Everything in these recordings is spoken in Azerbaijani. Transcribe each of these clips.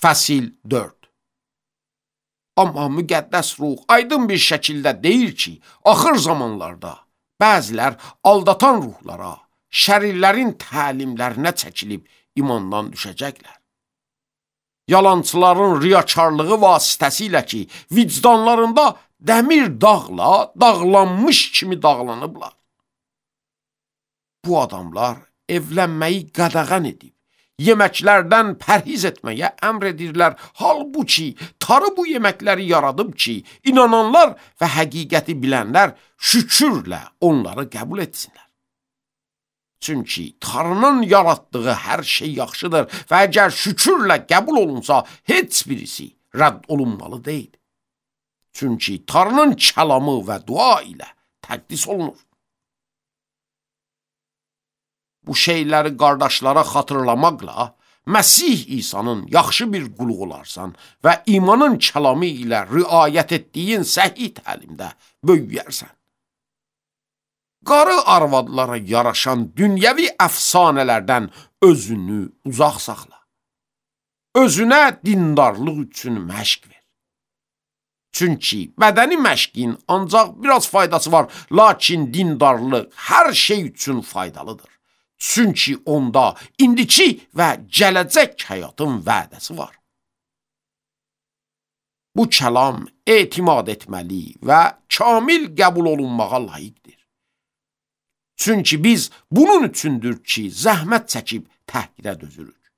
Fəsil 4. Amma müqəddəs ruh aydın bir şəkildə deyir ki, axır zamanlarda bəzilər aldatan ruhlara, şərirlərin təlimlərinə çəkilib imandan düşəcəklər. Yalançıların riyakarlığı vasitəsilə ki, vicdanlarında dəmir dağla dağlanmış kimi dağlanıblar. Bu adamlar evlənməyi qadağan edib, yeməklərdən pərhiz etməyə əmr edirlər. Halbuki Tanrı bu yeməkləri yaradıb ki, inananlar və həqiqəti bilənlər şükürlə onları qəbul etsinlər. Çünki Tanrının yaratdığı hər şey yaxşıdır və əgər şükürlə qəbul olunsa, heç birisi rədd olunmalı deyil. Çünki Tanrının kəlamı və dua ilə təqdis olunur. Bu şeyləri qardaşlara xatırlamaqla Məsih İsa'nın yaxşı bir qulu olarsan və imanın kəlamı ilə riayət etdiyin səhih təlimdə böyüyərsən. Qarı arvadlara yaraşan dünyəvi əfsanələrdən özünü uzaq saxla. Özünə dindarlıq üçün məşq ver. Çünki bədəni məşqin ancaq biraz faydası var, lakin dindarlıq hər şey üçün faydalıdır. Çünki onda indiki və gələcək həyatın vədəsi var. Bu kəlam etimad etməli və kamil qəbul olunmağa layiqdir. Çünki biz bunun üçündür ki, zəhmət çəkib təhqirə dözürük.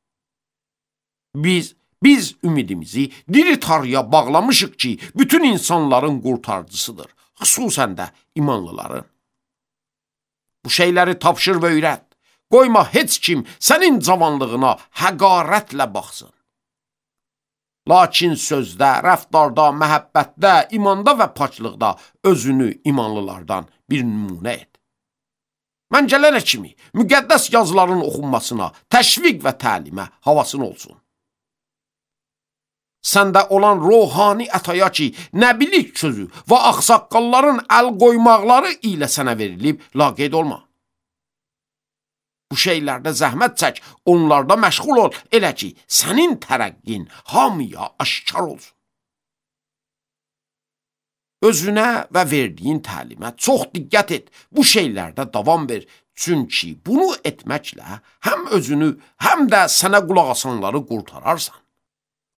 Biz ümidimizi diri Tanrıya bağlamışıq ki, bütün insanların qurtarıcısıdır, xüsusən də imanlıların. Bu şeyləri tapşır və öyrət. Qoyma heç kim sənin cavanlığına həqarətlə baxsın. Lakin sözdə, rəftarda, məhəbbətdə, imanda və paçlıqda özünü imanlılardan bir nümunə et. Məncələrə kimi müqəddəs yazıların oxunmasına, təşviq və təlimə havasın olsun. Səndə olan ruhani ətaya ki, nəbilik sözü və ağsaqqalların əl qoymaqları ilə sənə verilib, laqeyd olma. Bu şeylərdə zəhmət çək, onlarda məşğul ol, elə ki, sənin tərəqqin hamıya aşkar olsun. Özünə və verdiyin təlimə çox diqqət et, bu şeylərdə davam ver. Çünki bunu etməklə həm özünü, həm də sənə qulaq asanları qurtararsan.